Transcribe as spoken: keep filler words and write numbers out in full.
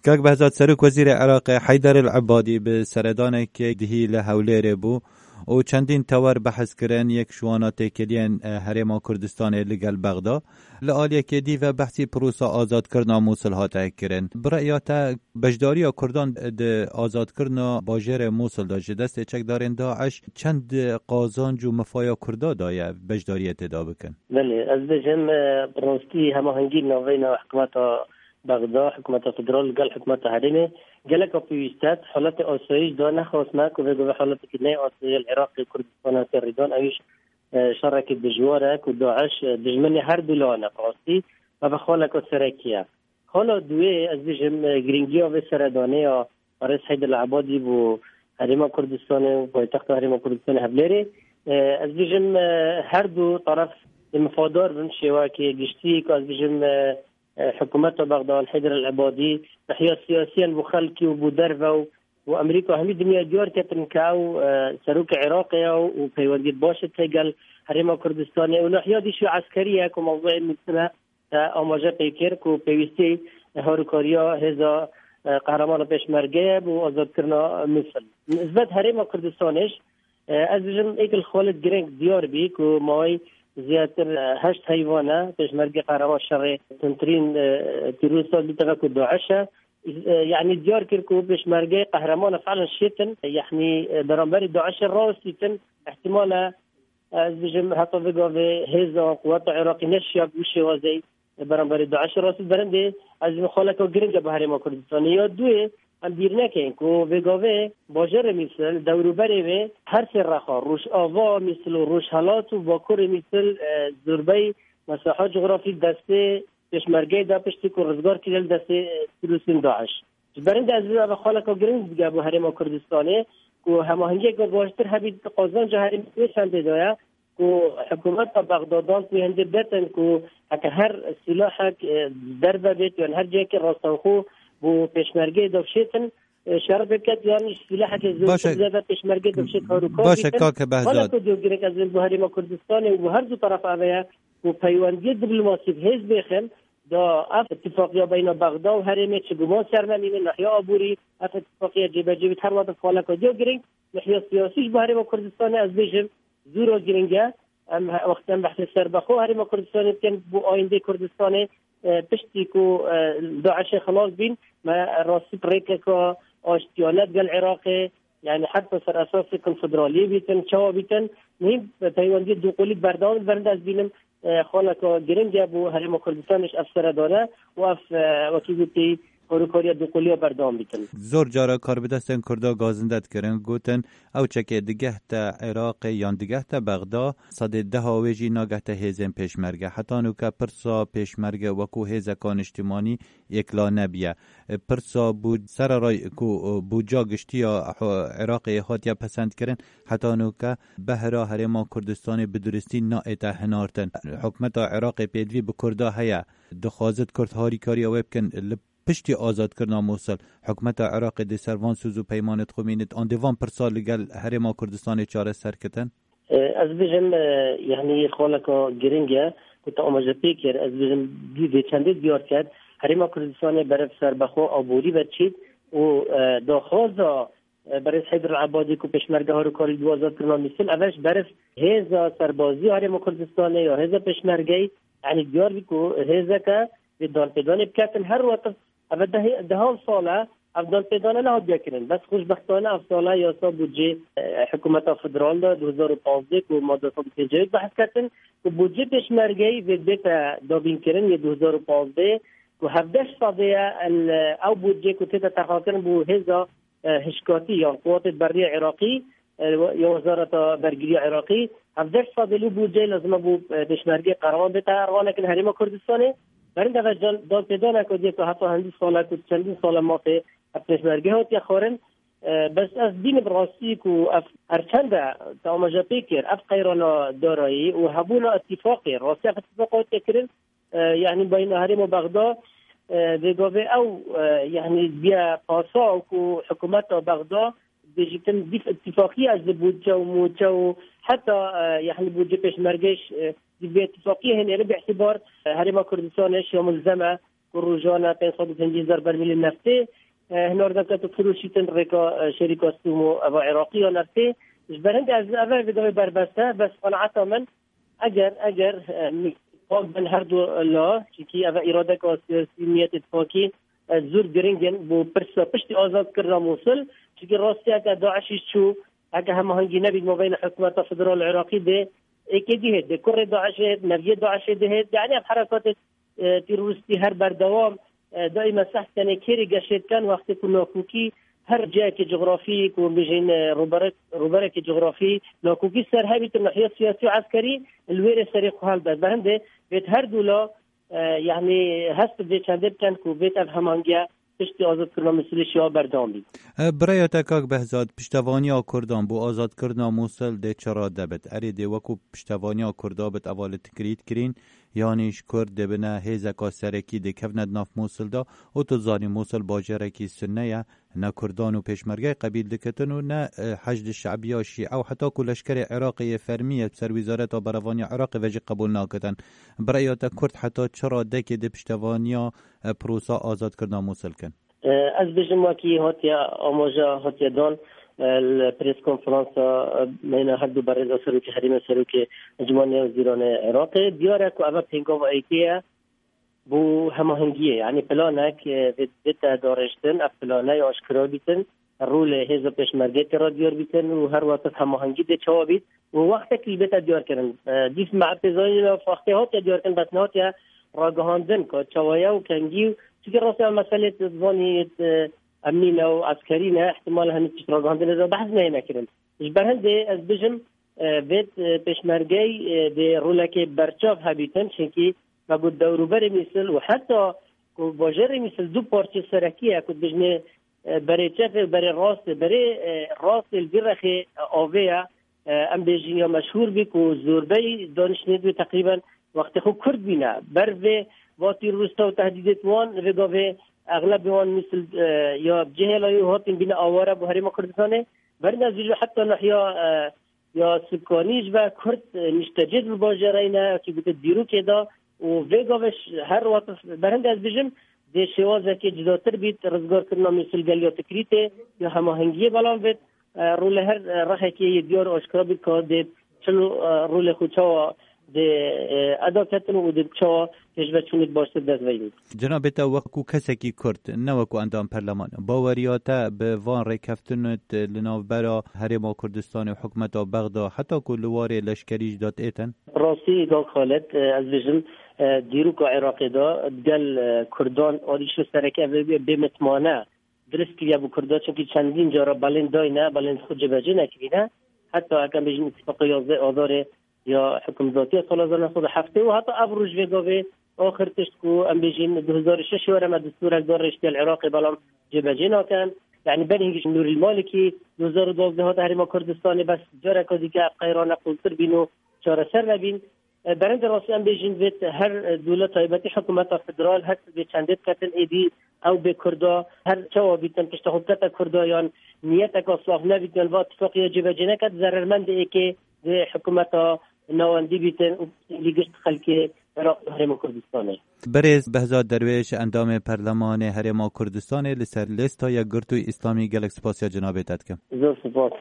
Kak Behzad, Serok Wezîrê Iraqê Heyder El Ebadî bi seredanekê dihî li Hewlêrê bû û çendîn tewer behs kirin, yek ji wana têkiliyên, e, Herêma Kurdistanê li gel Bexda. Li aliyekê dî ve behsî prosa azadkirina Mûsil hate kirin. Bi reya te, beşdariya Kurdan di azadkirina bajêrê Mûsil de ji destê çekdarên DAIŞ çend qazanc û mifaya Kurda daye beşdariyê tê de bikin? Belê, ez bêjim, e, bi rastî hemahengî navbeyna hikûmeta Bexda, hikûmeta federal li gel hikûmeta herêmê geleka pêwîst e. Haletê asayîş da nexwast me ku vê gavê haletekî neyê asayî li Iraqê û Kurdistanê hate rêdan, ew jî, e, şerekî dijwar e ku DAIŞ, e, dijminê her du lan e, bi rastî, ev xaleka serekî ye. Xala duwê, ez bêjim, e, girîngiya vê seredanê ya Barêz Heyder Ebadî bo Herêma Kurdistanê û paytexta Herêma Kurdistanê Hevlêrê. E, ez bêjim, e, her du taraf ê mifadar bin şêwekê giştî, ku ez bêjim, e, e, hikûmeta Bexda, Heyder El Ebadî, nahya siyasiyan bo xelkî û bo derve û, û Amerîka hemî dinya diyar ketin ke ew, e, serokê Iraqê ye û peywendiyê baş e gel Herêma Kurdistanê û nahya dî jî eskerî ye ku mewzûyê nivîsine te amaje pê kir ku pêwîstî harûkariya hêza, e, qehreman û pêşmerge ye bo azadkirina Mûsil. Nisbet Herêma Kurdistanê jî, e, ez bijim êk li xalê girêng diyar bî ku mawey zêdetir, e, heşt heyvan e, pêşmerge qehreman şerê tuntirîn, e, tîrorîsta dî teve ku DAIŞ e. E, yanî diyar kir ku pêşmerge qehreman e, fiilen şêtin, yanî, e, beramberî DAIŞê rawestîtin, ihtimal e, ez bijim, heta vê gavê hêza quweta Iraqî neşiya bi wî şêwazê beramberî DAIŞê rast. Berindê ez bijim xaleka giring e bi Herêma Kurdistanê. Ya duyê, em bîr nekin ku vê gavê bajarê Mûsil, dewrûberê wê, her sê rexa, Rojava, Mûsil û Rojhelat û Bakurê Mûsil, e, zorbey mesaha cografî destê pêşmergeyê de piştî ku rizgar kiriye li destê, e, tîrorîstên DAIŞ. Ji berindê ez ê xaleka giring bige bo Herêma Kurdistanê ku hemahengiyeke baştir hebî, qazanca herêmê wê çendê de ye ku hikûmeta Bexda dan ku hindê betin ku heke her sîlahek, e, derve bêt yan her cihekê rastewxo bo pêşmergeyê de bişêtin, e, şer biket yan jî sîlahekê zêdetir zêde pêşmergeyê de bişêt harûkar bîtin. Baş e, kake Behzad. Xaleka diyo giring ez ê bo Herêma Kurdistanê û bo her du taraf eve ye ku peywendiyê diplomasî bi hêz bêxin, da ev îtifaqiya beyna Bexda û herêmê çi guman ser nemîne, nahiya aborî ev îtifaqiya cêbecê bît, her wexta xaleka diya giring, nahiya siyasî ji bo Herêma Kurdistanê ez bêjim zûra giring e. Em he-, wextê em behsê serbexwe Herêma Kurdistanê dikin, bo ayîndê Kurdistanê, e, piştî ku, e, DAIŞê xilas bîn, me rastî bi rêkeka aştiyane digel Iraqê, yanî heta ser esasê konfederaliyê bîtin, çawa bîtin, muhîm peywendiyê duqulî berdewam, berinde ez bînim, e, xaleka giring e bo Herêma Kurdistanê jî ev seredane û ev, e, wekî gotî, harûkariya duquliya berdewam bîtin. Zor cara karbidestên Kurda gazinde dikirin, gotin, ew çekê digehte Iraqê yan digehte Bexda, sedê deha wê jî nagehte hêzên pêşmerge. Heta nûke pirsa pêşmerge wekû hêzeka niştimanî yekla nebiye. Pirsa bû-, sererayî ku, e, bûca giştî ya, e, Iraqê hatiye pesendkirin, heta nûke behra Herêma Kurdistanê bi duristî naête hinartin. Hikûmeta Iraqê pêdivî bi Kurda heye. Dixwazit Kurd harîkariya wê bikin li piştî azadkirina Mûsil. Hikûmeta Iraqê dê ser van soz û peymanê dixwimînit, an dê van pirsa li gel Herêma Kurdistanê çareser kitin? E, ez bijim, e, yanî xaleka giring e ku te amaje pê kir. Ez bijim dî vê çendê diyar ket. Herêma Kurdistanê berev serbexwe aborî ve çît û, e, daxwaza, e, berêz Heyder Ebadî ku pêşmerge harûkarî dû azadkirina Mûsil, ev e ji berev hêza serbazî Herêma Kurdistanê ya hêza pêşmergeyî, yanî diyar bî ku hêzeke vê danpêdanê biketin her wexta. Ev e dehê-, dehan sal e, ev danpêdane nehatiye kirin. Bes xweşbextane ev sal e yasa budcê, e, hikûmeta federal de du hezar û pazdeh ku madde sed û pêncî yek behs ketin, ku budcê pêşmergeyî vê bête dabînkirin yê du hezar û pazdeh, ku hevdeh sedê ye, el, ew budcê ku tête terxankirin bo hêza, e, hişkatî yan quwatê berriya Iraqî, e, ya Wezareta Bergiriya Iraqî, hevdeh sedê li budceyê lazim e bo, e, pêşmergê qehreman bête erxanekin Herêma Kurdistanê. Berinde ve dan-, danpêdaneke dî ku heta hindî sala ku çendîn sala mafê ev pêşmerge hatiye xwarin. E, bes ez bînim rastî ku ev her çend e te amaje pê kir, ev qeyrana darayî û hebûna îtîfaqê, rastî ev îtîfaqa hatiye kirin, e, yanî beyna herêma Bexda, e, vê gavê ew, e, yanî biye pasa ku hikûmeta Bexda dibêjîtin dîf îtîfaqî ez li budce û mûçe û heta, e, yanî budce pêşmergeyş, e, dîf vê îtîfaqiyê hênê li bî'tîbar, e, Herêma Kurdistanê şiya mulzem e, ku rojane pênc sed û pêncî hezar bermîlên neftê, e, hinardeke tu firoşîtin rêka, e, şerîka Sumû eva Iraqî ya neftê. Ji ber hindê ez eve vê gavê berbeste, bes qenaeta min, eger, eger, e, pak bin her du la, çikî eve îradeka siyasî, niyetê pakî, e, zor giring in bo pirsa piştî azadkirina Mûsil, çikî rastiyeke DAIŞî çû, heke hemahengî nebît mabeyna hikûmeta federal Iraqî dê, êkê dî hêt, dê kurê DAIŞê hêt, neviyê DAIŞê dê hêt, yanî ev herekatê, e, terorîstî her berdewam, e, daîme seh tenê kêrê geşê dikin, wextê ku nakokî her cihekê cografî, ku em bêjin, e, rûberek-, rûberekê cografî, nakokî ser hebîtin nahiya siyasî û eskerî, li wêrê serê xwe helbet. Bi hindê vêt her du la, e, yanî hest bi vê çendê bikin ku vêt ev hemangiye piştî azadkirina Mûsilê şiya berdewam bît. E, biraya te kak Behzad, piştevaniya Kurdan bo azadkirina Mûsil dê çi rade bit? Erê dê wekû piştevaniya Kurda bit eva li tikrît kirîn, yanî ji Kurd dê bine hêzeka serekî dê kevne di nav Mûsil de û tu zanî Mûsil bajêrekî sunne ye, ne Kurdan û pêşmergeyê qebîl dikitin û ne, e, Heşd Şebiya Şîe û heta ku leşkerê Iraqê yê fermî yê serwîzareta berevaniya Iraqê ve jî qebûl nakitin. Biraya te Kurd heta çi radekê dê piştevaniya, e, prosa azadkirina Mûsil kin? E, ez bêjim wekî hatiye amaja hatiye dan, e, li prêskonferansa, e, beyna her du berêza serokê herêmê, serokê Encûmena Wezîranê Iraqê. Diyar e ku eve pêngava êkê ye bo hemahengiyê. Yanî planek, e, bê-, bête darêjtin, ev plane ya aşkera bîtin, rolê hêza pêşmergê tê re diyar bîtin û her wextek hemahengî dê çawa bît û wextek jî bête diyar kirin. E, dîf me tê zanîn, wextê hatiye diyar kirin, bes nehatiye ragihandin ku çawa ye û kengî û, çunke rastî ev meselê tu dizanî, e, emnî ne û eskerî ne, ihtimal hinî tişt ragihandinê de behs neyne kirin. Ji ber hindê ez bijim, e, vêt, e, pêşmergey, e, dê rolekê berçav hebîtin, çunkî me got dewrûberê Mûsil û heta ku bajêrê Mûsil du parçe serekî ye, ku dijnê, e, berê çepê û berê rastê, berê, e, rastê li vî rexê, e, avê ye, e, em bêjin ya meşhûr bî ku zorbey daniştê wê teqrîben wextê xwe Kurd bîne. Ber vê va terorîsta û tehdîdêt wan, vê gavê exlebê wan Mûsil, e, ya cihêla yû hatin bîne aware bo Herêma Kurdistanê. Ber ne zû heta nahiya, e, ya Sukanî ji ber Kurd, e, niştecê di bajêreyne, ki gote dîrokê de û vê gavê ş-, her wext berhinde ez bijim, dê şêwazekê cudatir bît, rizgarkirina Mûsil gel ya Tikrîtê, ya hemahengiyê belam bêt, e, rolê her, e, rehekê yê diyar û aşkera bît ka dê çilo, e, rolê xwe çawa dê, e, eda ketin û dê çawa pêşveçûnê baştir dest veyî. Cenabê te wekû kesekî Kurd, ne wekû endam perleman, baweriya te bi van rêkeftinêt li navbera Herêma Kurdistanê û hikûmeta Bexda heta ku li warê leşkerî jî de têtin? Rastî, Kak Xalid, e, ez bêjim, e, dîroka Iraqê de gel, e, Kurdan alîşo sereke ev bê, bê mitmane dirist kiriye bo Kurda, çunkî çendîn cara belên dayne, belên xwe cibecê nekirîne. Heta heke em bêjin îtîfaqa yazdeh Azarê ya hikûmetiya sala hezar neh sed û heftê û heta ev roj vê gavê axir tişt ku em bêjin du hezar û şeş were me destûrek da rêştiya li Iraqê, belam cêbecê nakin. Yanî berî hingî Nûrîl Malikî du hezar û duwazdeh hate Herêma Kurdistanê, bes careka dîke ev qeyrane qûltir bîn û çareser nebîn. E, berhindê rastî em bêjin vê her, e, dûle taybetî hikûmeta federal her vê çendê diketin êdî ew bê Kurda her çawa bîtin pişta xwe bikete Kurda yan niyeteka saf nebît yan va tifaqî ya cêbecê neket, zerermendê êkê dê hikûmeta navendî bîtin û lî gişt xelkê Iraq û Herêma Kurdistanê. Berêz Behzad Derwêş, endamê Perlemanê Herêma Kurdistanê, li ser lêsta Yekgirtû Îslamî, gelek spasiya cenabê te dikim. Zor spas.